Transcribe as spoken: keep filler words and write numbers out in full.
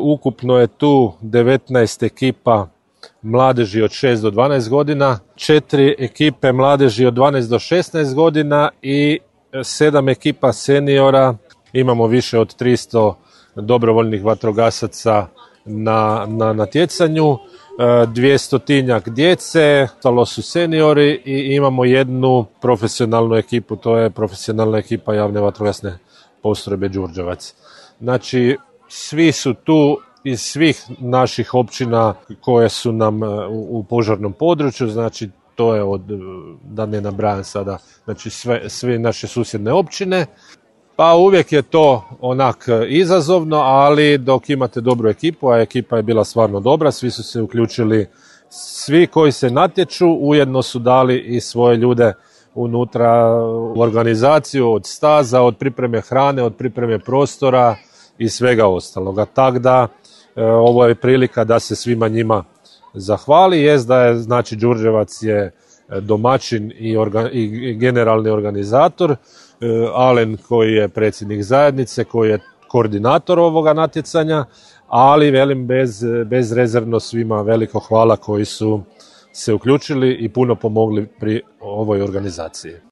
Ukupno je tu devetnaest ekipa mladeži od šest do dvanaest godina, četiri ekipe mladeži od dvanaest do šesnaest godina i sedam ekipa seniora. Imamo više od tristo dobrovoljnih vatrogasaca na, na natjecanju, dvjestotinjak djece, ostalo su seniori i imamo jednu profesionalnu ekipu, to je profesionalna ekipa javne vatrogasne postrojbe Đurđevac. Znači, svi su tu iz svih naših općina koje su nam u požarnom području, znači to je od, da ne nabrajam sada, znači sve, sve naše susjedne općine. Pa uvijek je to onak izazovno, ali dok imate dobru ekipu, a ekipa je bila stvarno dobra, svi su se uključili, svi koji se natječu ujedno su dali i svoje ljude unutra u organizaciju, od staza, od pripreme hrane, od pripreme prostora i svega ostaloga. Tako da e, ovo je prilika da se svima njima zahvali. Jest da je, znači, Đurđevac je domaćin i, orga, i generalni organizator, e, Alen koji je predsjednik zajednice, koji je koordinator ovoga natjecanja, ali velim bez, bezrezervno svima veliko hvala koji su se uključili i puno pomogli pri ovoj organizaciji.